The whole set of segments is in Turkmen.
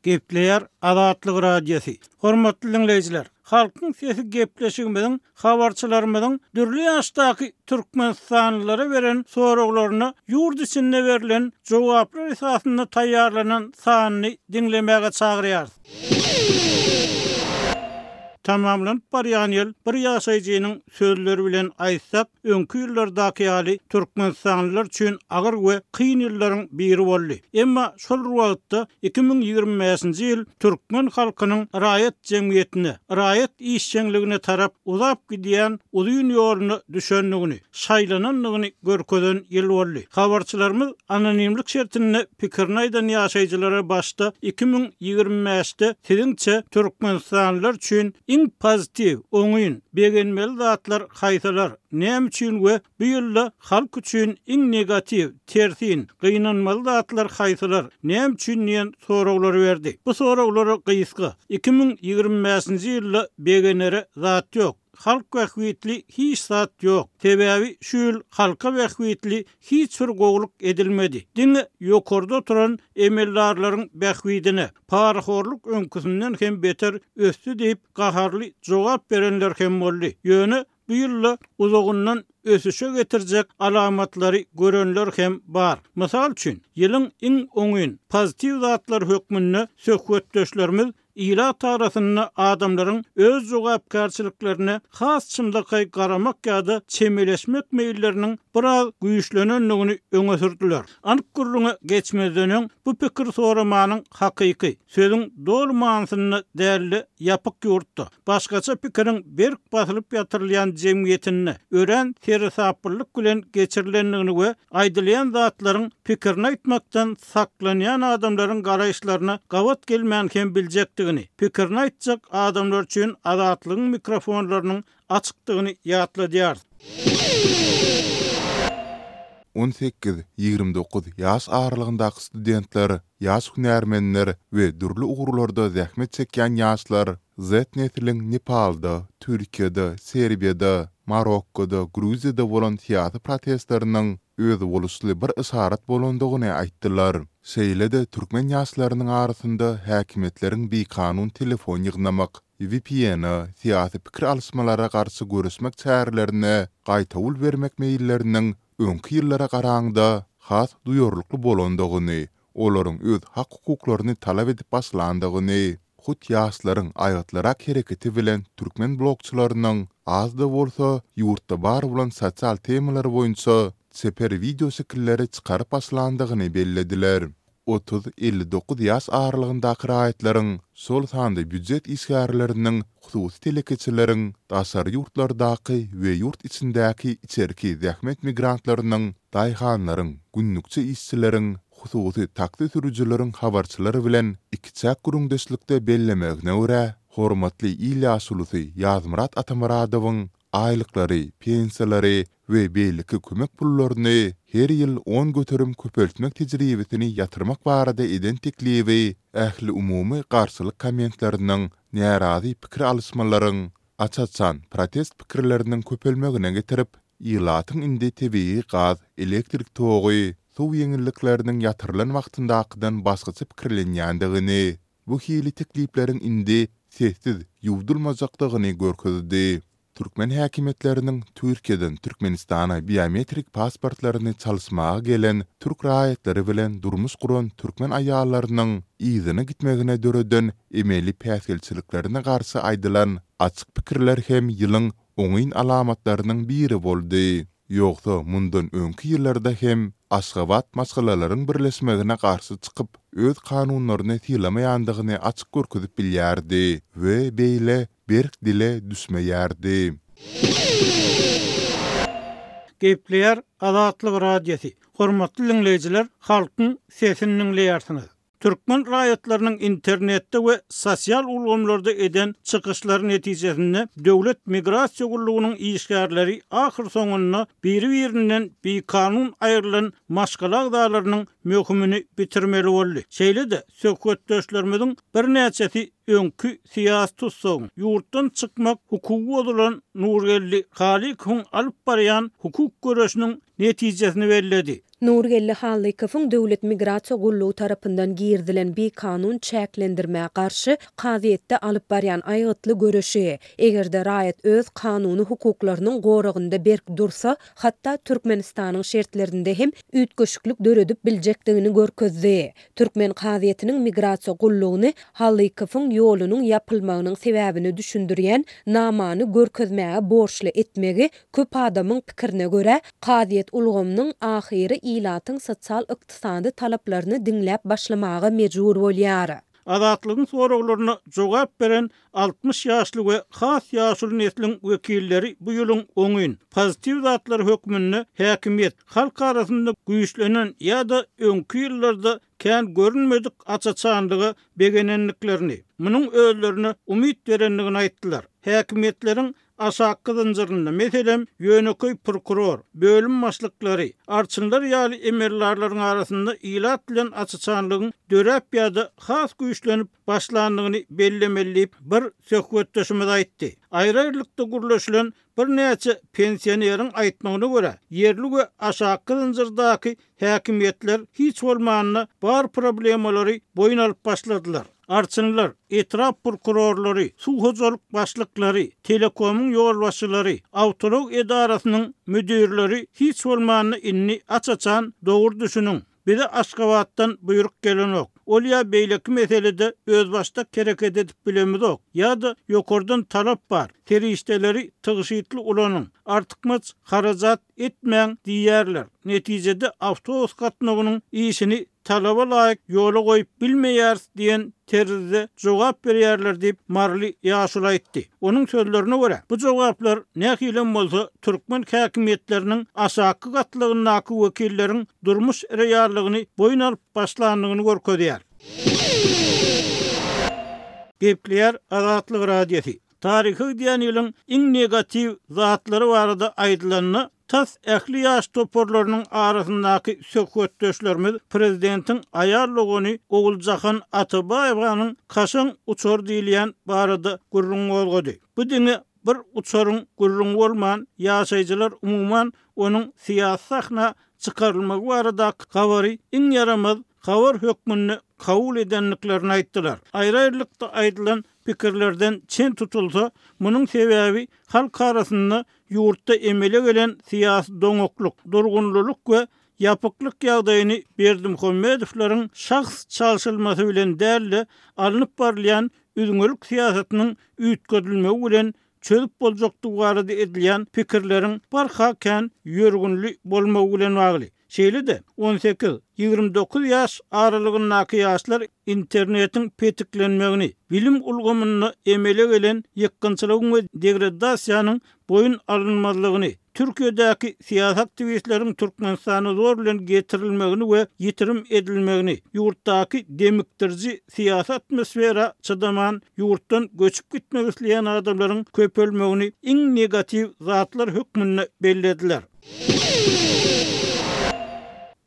Gepleýär Azatlyk Radiosy. Hormatly diňleýjiler, Halkyň sesi gepleşigimiziň habarçylarymyzyň dürli ýaşdaky türkmenistanlylara beren soraglaryna ýurt içinde berlen jogaplar esasynda taýýarlanan sanyny diňlemäge çagyrýarys. Tamamlanyp barýan ýyl bir ýaşaýjynyň sözleri bilen aýtsak, öňki ýyllardaky ýaly türkmenistanlylar üçin agyr we kyn ýyllaryň biri boldy. Emma şol bir wagtda 2025-nji ýyl türkmen halkynyň raýat jemgyýetine, raýat işjeňligine tarap uzap gidýän uzyn ýoluna düşendigini, şaýlanandygyny görkezen ýyl boldy. Habarçylarymyz anonimlik şertinde pikirini aýdan ýaşaýjylara başda 2025-de siziňçe türkmenistanlylar üçin iň pozitiw, oňyn, begenmeli zatlar haýsylar, näme üçin we bu ýylda halk üçin iň negatiw, tersin, gynanmaly zatlar haýsylar, näme üçin diýen soraglary berdi. Bu soraglara gysga, 2025-nji ýylda begenere zat ýok. Halk bähbitli hiç zat ýok. Sebäbi şu ýyl halka bähbitli hiç bir gowulyk edilmedi. Diňe ýokarda oturan emeldarlaryň bähbidine. Parahorluk öňküsinden hem beter ösdi diýip gaharly jogap berenler hem boldy. Ýöne bu ýylda uzagyndan ösüşe getirjek alamatlary görenler hem bar. Mysal üçin, ýylyň iň oňyn, pozitiw zatlary hökmünde söhbetdeşlerimiz Ilat arasynda adamlaryň öz jogapkärçiliklerine has çynlakaý garamak ýa-da çemeleşmek meýilleriniň biraz güýçlenendigini öňe sürdüler. Anyk gürrüňe geçmezden öň, bu pikir soramanyň hakyky, sözüň doly manysynda däl-de, ýapyk ýurtda, başgaça pikiriň berk basylyp ýatyrylýan jemgyýetinde örän seresaplylyk bilen geçirilendigini we aýdylýan zatlaryň pikirini aýtmakdan saklanýan adamlaryň garaýyşlaryna gabat gelmän hem biljekdigini, pikirini aýtjak adamlar üçin Azatlygyň mikrofonlarynyň açykdygyny ýatladýarys. 18, 29 ýaş aralygyndaky studentler, ýaş hünärmenler we dürli ugurlarda zähmet çekýän ýaşlar Z-nesliň Nepalda, Türkiýede, Serbiýada, Marokkoda, Gruziýada bolan syýasy protestleriniň özboluşly bir yşarat bolandygyny aýtdylar. Şeýle-de türkmen ýaşlarynyň arasynda häkimiýetleriň bikanun telefon ýygnamak, VPN-e, syýasy pikir alyşmalara garşy göreşmek çärelerine gaýtawul bermek meýilleriniň öňki ýyllara garaňda has duýarlykly bolandygyny, olaryň öz hak-hukuklaryny talap edip başlandygyny, hut ýaşlaryň aýgytlyrak hereketi bilen türkmen blogçylarynyň az-da bolsa ýurtda bar bolan sosial temalar boýunça çeper wideoşekilleri çykaryp başlandygyny bellediler. 30, 59 ýaş aralygyndaky raýatlaryň, şol sanda býujet işgärleriniň, hususy telekeçileriň, daşary ýurtlardaky we ýurt içindäki içerki zähmet migrantlarynyň, daýhanlaryň, günlükçi işçileriň, hususy taksi sürüjileriň habarçylar bilen ikiçäk gürrüňdeşlikde bellemegine görä, hormatly il ýaşulusy Ýazmyrat Atamyradowyň aýlyklary, pensiýalary we beýleki kömek pullaryny her ýyl 10% köpeltmek tejribesini ýatyrmak barada eden teklibi ähliumumy garşylyk kommentleriniň, närazy pikir alyşmalaryň, aç-açan protest pikirleriniň köpelmegine getirip, Ilatyň indi tebigy gaz, elektrik togy, suw ýeňillikleriniň ýatyrylan wagtyndakydan başgaça pikirlenýändigini, bu hili teklipleriň indi sessiz ýuwdulmajakdygyny görkezdi. Türkmen häkimiýetleriniň Türkiýeden Türkmenistana biometrik pasportlaryny çalyşmaga gelen türk raýatlary bilen durmuş guran türkmen aýallarynyň yzyna gitmegine döreden emeli päsgelçiliklerine garşy aýdylan açyk pikirler hem ýylyň oňyn alamatlarynyň biri boldy. Ýogsa mundan öňki ýyllarda hem Aşgabat maşgalalaryň birleşmegine garşy çykyp, öz kanunlaryny sylamaýandygyny açyk görkezip bilýärdi we beýle berk dile düşmeýärdi. Gepleýär Azatlyk Radiosy, Hormatly diňleýjiler, Halkyň sesini diňleýärsiňiz. Türkmen raýatlarynyň internetde we sosial ulgamlarda eden çykyşlary netijesinde Döwlet migrasiýa gullugynyň işgärleri ahyrsoňunda biri-birinden bikanun aýrylan maşgala agzalarynyň möhümini bitirmeli boldy. Şeýle-de, söhbetdeşlerimiziň birnäçesi. öňki syýasy tussagyň, ýurtdan çykmak hukugy bozulan Nurgeldi Halykowyň alyp barýan hukuk göreşiniň netijesini belledi. Nurgeldi Hallykowyň Döwlet migrasiýa gullugy tarapyndan girizilen bikanun çäklendirmä garşy kazyýetde alyp barýan aýgytly göreşi, eger-de raýat öz kanuny hukuklarynyň goragynda berk dursa, hatda Türkmenistanyň şertlerinde hem üýtgeşiklik döredip biljekdigini görkezdi. Türkmen kazyýetiniň migrasiýa gullugyny Halykowyň ýolunyň ýapylmagynyň sebäbini düşündirýän namany görkezmäge borçly etmegi köp adamyň pikirine görä, kazyýet ulgamynyň ahyry ilatyň sosial-ykdysady talaplaryny diňläp başlamaga mejbur bolýar. Azatlygyň soraglaryna jogap beren 60 ýaşly we has ýaşuly nesliň wekilleri bu ýylyň oňyn, pozitiw zatlary hökmünde häkimiýet, halk arasynda güýçlenen ýa-da öňki ýyllarda kän görünmedik aç-açanlyga begenendiklerini, munuň özlerine umyt berendigini aýtdylar. Häkimiýetleriň Aşakky zynjyrynda, meselem, ýönekeý prokuror, bölüm başlyklary, arçynlar ýaly emeldarlaryň arasynda ilat bilen aç-açanlygyň döräp ýa-da has güýçlenip başlandygyny bellemeli diýip, bir söhbetdeşimiz aýtdy. Aýry-aýrylykda gürleşilen birnäçe pensioneriň aýtmagyna görä, ýerli we aşakky zynjyrdaky Häkimiýetler hiç bolmanda bar problemalary boýun alyp başladylar. Arçynlar, etrap prokurorlary, suw hojalyk başlyklary, telekomyň ýolbaşçylary, awtoulag edarasynyň müdirleri hiç bolmanda indi aç-açan dogry düşüniň, bize Aşgabatdan buýruk gelenok, ol ýa beýleki meselede özbaşdak hereket edip bilemizok, ýa-da ýokardan talap bar, serişdeleri tygşytly ulanyň, artykmaç harajat etmäň diýýärler. Netijede awtobus gatnawynyň işini talaba laýyk ýola goýup bilmeýäris diýen terzde jogap berýärler diýip, maryly ýaşuly aýtdy. Onuň sözlerine görä, bu jogaplar nähilem bolsa türkmen häkimiýetleriniň aşakky gatlagyndaky wekilleriň durmuş reallygyny boýun alyp başlandygyny görkezýär. Gepleýär Azatlyk Radiosy. Taryha gidýän ýylyň iň negatiw zatlary barada aýdylanda, tas ähli ýaş toparlarynyň arasyndaky söhbetdeşlerimiz prezidentiň aýal dogany Oguljahan Atabaýewanyň kaşaň uçary diýilýän barada gürrüň gozgady. Bu diňe bir uçaryň gürrüňi bolman, ýaşaýjylar umuman onuň syýasy sahna çykarylmagy baradaky habary iň ýaramaz habar hökmünde kabul edendiklerini aýtdylar. Aýry-aýrylykda aýdylan pikirlerden çen tutulsa, munuň sebäbi halk arasynda ýurtda emele gelen syýasy doňaklyk, durgunlylyk we ýapyklyk ýagdaýyny Berdimuhamedowlaryň şahs çalşylmasy bilen däl-de, alnyp barylýan üzňelik syýasatynyň üýtgedilmegi bilen çözüp boljakdygy barada edilýän pikirleriň barha kän ýörgünli bolmagy bilen bagly. Şeýle-de, 18, 29 ýaş aralygyndaky ýaşlar internetiň petiklenmegini, bilim ulgamynda emele gelen ýykgynçylygyň we degradasiýanyň boýun alynmazlygyny, Türkiýedäki syýasy aktiwistleriň Türkmenistana zor bilen getirilmegini we ýitirim edilmegini, ýurtdaky demikdiriji syýasy atmosfera çydaman ýurtdan göçüp gitmek isleýän adamlaryň köpelmegini iň negatiw zatlar hökmünde bellediler.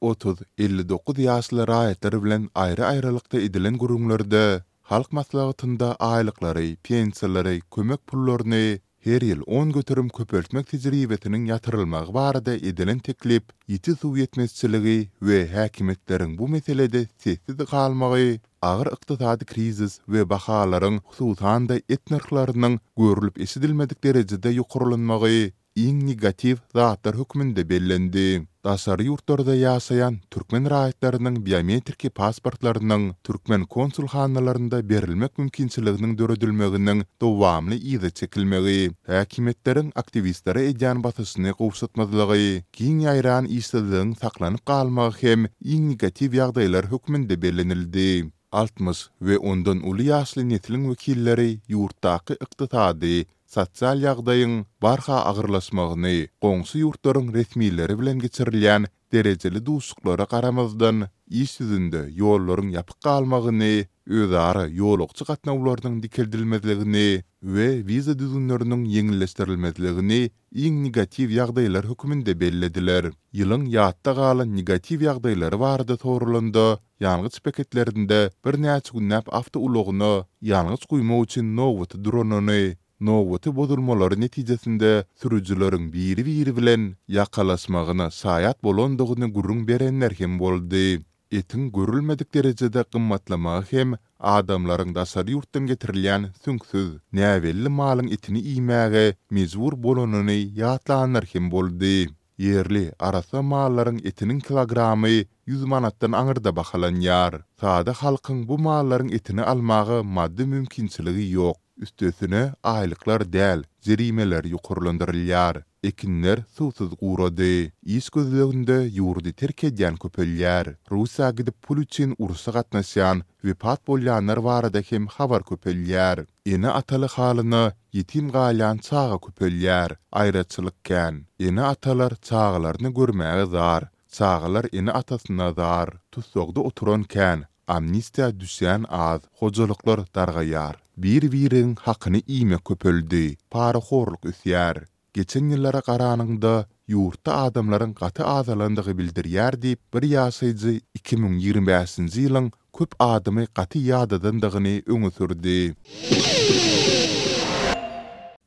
30, 59 ýaşly raýatlar bilen aýry-aýrylykda edilen gürrüňlerde Halk Maslahatynda aýlyklary, pensiýalary, kömek pullaryny her ýyl 10% köpeltmek tejribesiniň ýatyrylmagy barada edilen teklip ýiti suw ýetmezçiligi we häkimiýetleriň bu meselede sessiz galmagy agyr ykdysady krizis we bahalaryň, hususan-da et nyrhlarynyň görlüp-eşidilmedik derejede ýokarlanmagy iň negatiw zatlar hökmünde bellendi. Daşary ýurtlarda ýaşaýan türkmen raýatlarynyň biometriki pasportlarynyň türkmen konsulhanalarynda berilmek mümkinçiliginiň döredilmeginiň dowamly yza çekilmegi, häkimiýetleriň aktiwistlere edýän basyşyny gowşatmazlygy, giň ýaýran işsizligiň saklanyp galmagy hem iň negatiw ýagdaýlar hökmünde bellenildi. 60 we ondan uly ýaşly nesliň wekilleri ýurtdaky ykdysady, sosial ýagdaýyň barha agyrlaşmagyny, goňşy ýurtlaryň resmileri bilen geçirilýän derejeli duşuşyklara garamazdan, iş ýüzünde ýollaryň ýapyk galmagyny, özara ýolagçy gatnawlarynyň dikeldilmezligini we wiza düzgünleriniň ýeňilleşdirilmezligini iň negatiw ýagdaýlar hökmünde bellediler. Ýylyň ýatda galan negatiw ýagdaýlary barada soralanda, ýangyç beketlerinde birnäçe günläp awtoulagyna ýangyç guýmak üçin nobata duranyny, nobaty bozulmalary netijesinde sürüjileriň biri-biri bilen ýakalaşmagyna şaýat bolandygyny gürrüň berenler hem boldy. Etiň görülmedik derejede gymmatlamagy hem adamlaryň daşary ýurtdan getirilýän süňksüz, näbelli malyň etini iýmäge mejbur bolanyny ýatlanlar hem boldy. Ýerli, arassa mallaryň etiniň kilogramy 100 manatdan aňyrda bahalanýar. Sada halkyň bu mallaryň etini almaga maddy mümkinçiligi ýok. Üstesine, aýlyklar däl, jerimeler ýokarlandyrylýar. Ekinler suwsuz gurady. Iş gözleginde ýurdy terk edýän köpelýär. Russiýa gidip pul üçin urşa gatnaşýan, wepat bolýanlar barada hem habar köpelýär. Ene-ataly halyna ýetim galýan çaga köpelýär. Aýraçylyk kän. Ene-atalar çagalaryny görmäge zar, çagalar ene-atasyna zar. Tussagda oturan kän, amnistiýa düşýän az. Hojalyklar dargaýar. Bir-biriň hakyny iýmek köpeldi. Parahorluk ösýär. Geçen ýyllara garanyňda, ýurtda adamlaryň gaty azalandygy bildirýär diýip, bir ýaşaýjy 2025-nji ýylyň köp adamy gaty ýadadandygyny öňe sürdi.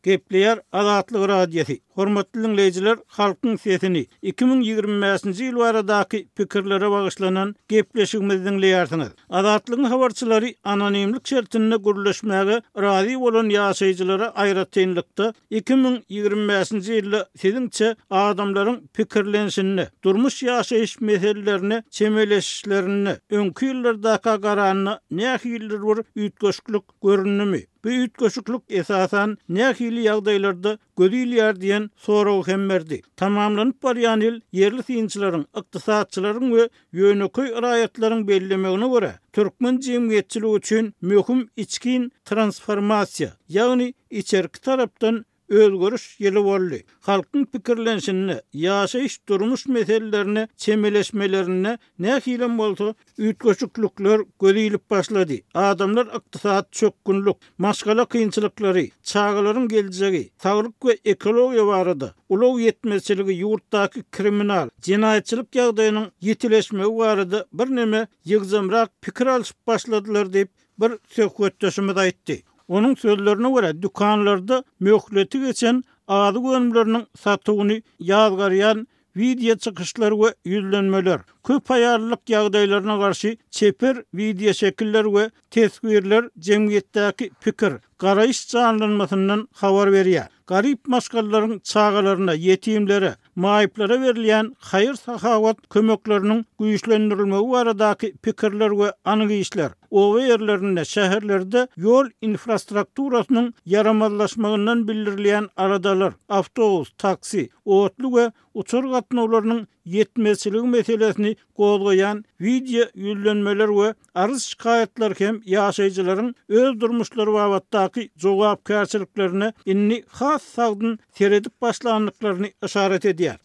Gepleýär Azatlyk Radiosy, Hormatly diňleýjiler, Halkyň sesini, 2025-nji ýyl baradaky pikirlere bagyşlanan gepleşigimizi diňleýärsiňiz. Azatlygyň habarçylary anonimlik şertinde gürleşmäge razy bolan ýaşaýjylara aýratynlykda 2025-nji ýylda siziňçe adamlaryň pikirlenişinde, durmuş-ýaşaýyş meselelerine çemeleşişlerinde öňki ýyllardaka garanda nähilidir bir üýtgeşiklik göründimi? Bu üýtgeşiklik esasan nähili ýagdaýlarda göz ilýär diýen soragy hem berdi. Tamamlanyp barýan ýyl ýerli synçylaryň, ykdysatçylaryň we ýönekeý raýatlaryň bellemegine görä, türkmen jemgyýetçiligi üçin möhüm içgin transformasiýa, ýagny içerki tarapdan özgeriş ýyly boldy. Halkyň pikirlenişinde, ýaşaýyş-durmuş meselelerine çemeleşmelerinde Nähilem bolsa, üýtgeşiklikler göz ilip başlady. Adamlar ykdysady çökgünlik, maşgala kynçylyklary, çagalaryň geljegi, saglyk we ekologiýa barada, ulag ýetmezçiligi, ýurtdaky kriminal, jenaýatçylyk ýagdaýynyň ýitileşmegi barada birneme ýygjamrak pikir alşyp başladylar diýip, bir söhbetdeşimiz aýtdy. Onuň sözlerine görä, dükanlarda möhleti geçen azyk önümleriniň satuwyny ýazgarýan Wideo çykyşlar we ýüzlenmeler, köp aýallylyk ýagdaýlaryna garşy çeper wideoşekiller we teswirler jemgyýetdäki pikir, garaýyş janlanmasyndan habar berýär. Garyp maşgalalaryň çagalaryna, ýetimlere, maýyplara berilýän haýyr-sahawat kömekleriniň güýçlendirilmegi baradaky pikirler we anyk işler, oba ýerlerinde, şäherlerde ýol infrastrukturasynyň ýaramazlaşmagyndan bildirilýän aladalar, awtobus, taksi, otly we uçar gatnawlarynyň ýetmezçiligi meselesini gozgaýan wideo ýüzlenmeler we arz-şikaýatlar hem ýaşaýjylaryň öz durmuşlary babatdaky jogapkärçiliklerine indi has sagdyn seredip başlandyklaryny yşarat edýär.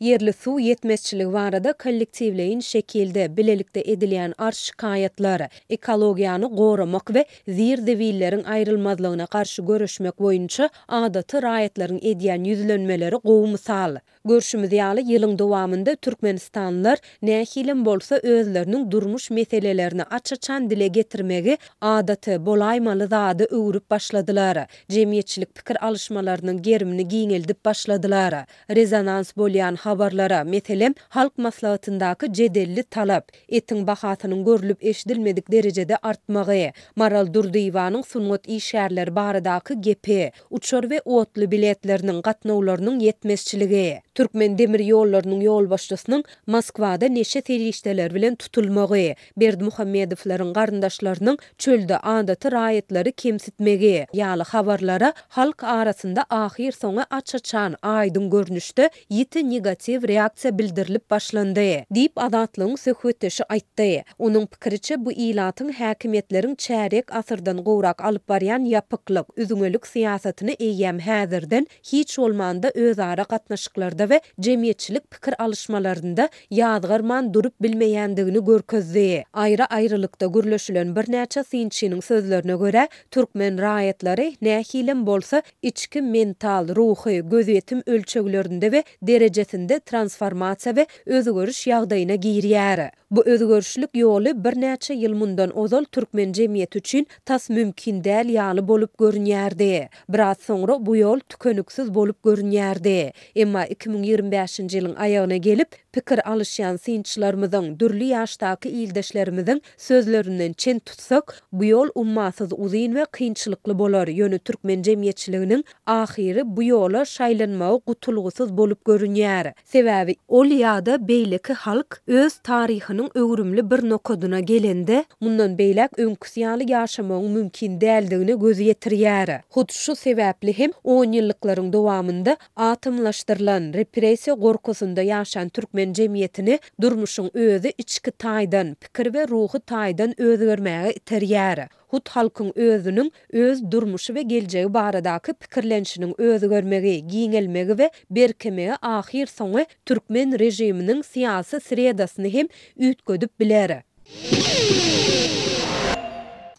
Ýerli suw ýetmezçiligi barada kollektiwleýin şekilde, bilelikde edilýän arz-şikaýatlar, ekologiýany goramak we zir-zibilleriň aýrylmazlygyna garşy göreşmek boýunça adaty raýatlaryň edýän ýüzlenmeleri gowy mysal. Görşümiz ýaly, ýylyň dowamynda türkmenistanlylar nähilem bolsa özleriniň durmuş meselelerini aç-açan dile getirmegi adaty, bolaýmaly zada öwrüp başladylar. Jemgyýetçilik pikir alyşmalarynyň gerimini giňeldip başladylar. Rezonans bolýan habarlara, meselem, Halk Maslahatyndaky jedelli talap, etiň bahasynyň görlüp-eşidilmedik derejede artmagy, Maral Durdyýewanyň sungat işgärleri baradaky gepi, uçar we otly biletleriniň gatnawlarynyň ýetmezçiligi, Türkmen demir ýollarynyň ýolbaşçysynyň Moskwada neşe serişdeleri bilen tutulmagy, Berdimuhamedowlaryň garyndaşlarynyň çölde adaty raýatlary kemsitmegi ýaly habarlara halk arasynda ahyrsoňy aç-açan, aýdyň görnüşde ýiti negatiw reaksiýa bildirilip başlandy, diýip, Azatlygyň söhbetdeşi aýtdy. Onuň pikiriçe, bu ilatyň häkimiýetleriň çärýek asyrdan gowrak alyp barýan ýapyklyk, üzňelik syýasatyny eýýäm häzirden hiç bolmanda özara gatnaşyklarda we. we jemgyýetçilik pikir alyşmalarynda ýazgarman durup bilmeýändigini görkezdi. Aýry-aýrylykda gürleşilen birnäçe synçynyň sözlerine görä, türkmen raýatlary, nähilem bolsa, içki mental, ruhy, gözýetim ölçeglerinde we derejesinde transformasiýa we özgeriş ýagdaýyna girýär. Bu özgerişlik ýoly birnäçe ýyl mundan ozal türkmen jemgyýeti üçin tas mümkin däl ýaly bolup görünýärdi. Biraz soňra bu ýol tükeniksiz bolup görünýärdi. Emma 2025-nji ýylyň aýagyna gelip, pikir alyşýan synçylarymyzyň, dürli ýaşdaky ildeşlerimiziň sözlerinden çen tutsak, bu ýol ummasyz uzyn we kynçylykly bolar, ýöne türkmen jemgyýetçiliginiň ahyry bu ýola şaýlanmagy gutulgysyz bolup görünýär. Sebäbi ol ýa-da beýleki halk öz taryhynyň öwrümli bir nokadyna gelende, mundan beýläk öňküsi ýaly ýaşamagyň mümkin däldigine göz ýetirýär. Hut şu sebäpli hem onýyllyklaryň dowamynda atomlaşdyrylan, repressiýa gorkusynda ýaşan türkmen jemgyýetini durmuşyň özi içki taýdan, pikir we ruhy taýdan özgermäge iterýär. Hut halkyň özüniň öz durmuşy we geljegi baradaky pikirlenişiniň özgermegi, giňelmegi we berkemegi ahyrsoňy türkmen režiminiň syýasy sredasyny hem üýtgedip biler.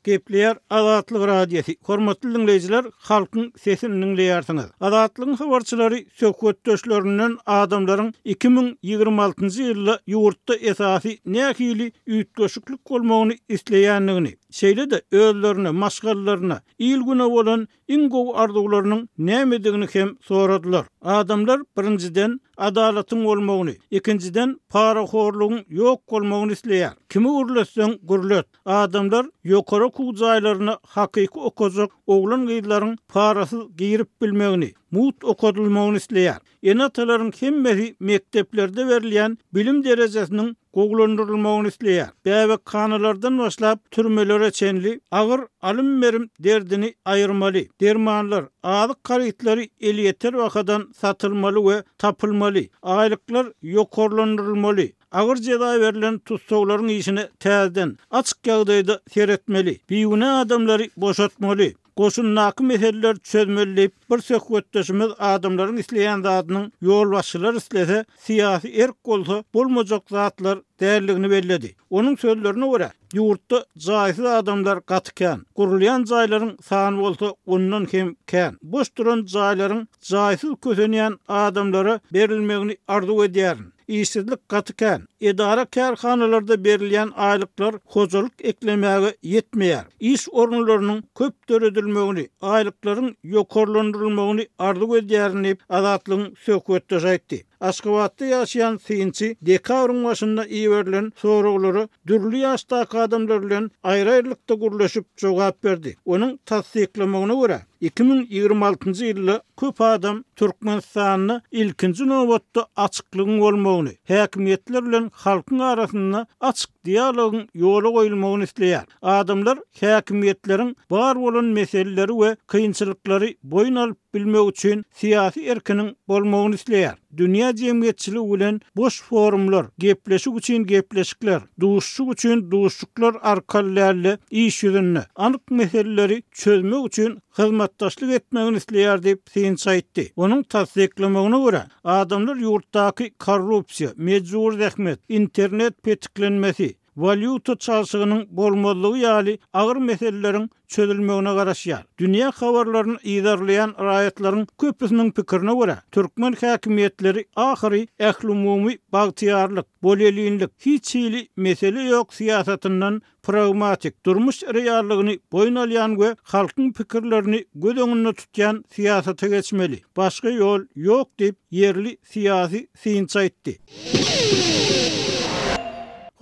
Gepleýär Azatlyk Radiosy, Hormatly diňleýjiler, halkyň sesini diňleýärsiňiz. Azatlygyň habarçylary söhbetdeşlerinden adamlaryň 2026-njy ýylda ýurtda esasy nähili üýtgeşiklik bolmagyny isleýändigini, şeýle-de özlerine, maşgalalaryna, il-güne bolan iň gowy arzuwlarynyň nämedigini hem soradylar. Adamlar, birinjiden, adalatyň bolmagyny, ikinjiden, parahorlugyň ýok bolmagyny isleýär. Kimi gürletseň gürlet, adamlar ýokary okuw jaýlaryna hakyky okajak oglan-gyzlaryň parasyz girip bilmegini, mugt okadylmagyny isleýär. Ene-atalaryň hemmesi mekdeplerde berilýän bilim derejesiniň gowulandyrylmagyny isleýär. Bäbekhanalardan başlap türmelere çenli agyr alym-berim derdini aýyrmaly. Dermanlar, azyk harytlary elýeter bahadan satylmaly we tapylmaly. Aýlyklar ýokarlandyrylmaly. Agyr jeza berlen tussaglaryň işine täzeden, açyk ýagdaýda seretmeli. Bigünä adamlary boşatmaly. Goşundaky meseleleri çözmeli diýip, bir söhbetdeşimiz adamlaryň isleýän zadynyň ýolbaşçylar islese, syýasy erk bolsa bolmajak zatlar däldigini belledi. Onuň sözlerine görä, ýurtda jaýsyz adamlar gaty kän, gurulýan jaýlaryň sany bolsa ondan hem kän. Boş duran jaýlaryň jaýsyz kösenýän adamlara berilmegini arzuw edýärin. Işsizlik gaty kän. Edara-kärhanalarda berilýän aýlyklar hojalyk eklemäge ýetmeýär. Iş orunlarynyň köp döredilmegini, aýlyklaryň ýokarlandyrylmagyny arzuw edýärin diýip, Azatlygyň söhbetdeşi aýtdy. Aşgabatda ýaşaýan synçy dekabryň başynda iberilen soraglara dürli ýaşdaky adamlar bilen aýry-aýrylykda gürleşip jogap berdi. Onuň tassyklamagyna görä, 2026-njy ýylda köp adam Türkmenistanda ilkinji nobatda açyklygyň bolmagyny, häkimiýetler bilen halkyň arasynda açyk dialogyň ýola goýulmagyny isleýär. Adamlar häkimiýetleriň bar bolan meseleleri we kynçylyklary boýun alyp bilmegi üçin syýasy erkiniň bolmagyny isleýär. Dünýä jemgyýetçiligi bilen boş forumlar, gepleşik üçin gepleşikler, duşuşyk üçin duşuşyklar arkaly däl-de, iş ýüzünde, anyk meseleleri çözmek üçin hyzmatdaşlyk etmegini isleýär diýip, synçy aýtdy. Onuň tassyklamagyna görä, adamlar ýurtdaky korrupsiýa, mejbury zähmet, internet petiklenmesi, walýuta çalşygynyň bolmazlygy ýaly agyr meseleleriň çözülmegine garaşýar. Dünýä habarlaryny yzarlaýan raýatlaryň köpüsiniň pikirine görä, türkmen häkimiýetleri ahyry ählumumy bagtyýarlyk, bolelinlik, hiç hili mesele ýok syýasatyndan pragmatik, durmuş reallygyny boýun alýan we halkyň pikirlerini göz öňünde tutýan syýasata geçmeli. Başga ýol ýok diýip, ýerli syýasy synçy aýtdy.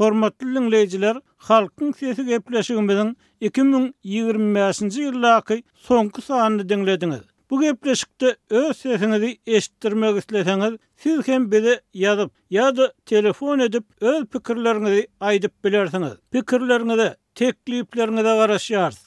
Hormatly diňleýjiler, Halkyň sesi gepleşigimiziň 2025-nji ýyldaky soňky sanyny diňlediňiz. Bu gepleşikde öz sesiňizi eşitdirmek isleseňiz, siz hem bize ýazyp ýa-da telefon edip öz pikirleriňizi aýdyp bilersiňiz. Pikirleriňize, teklipleriňize garaşýarys.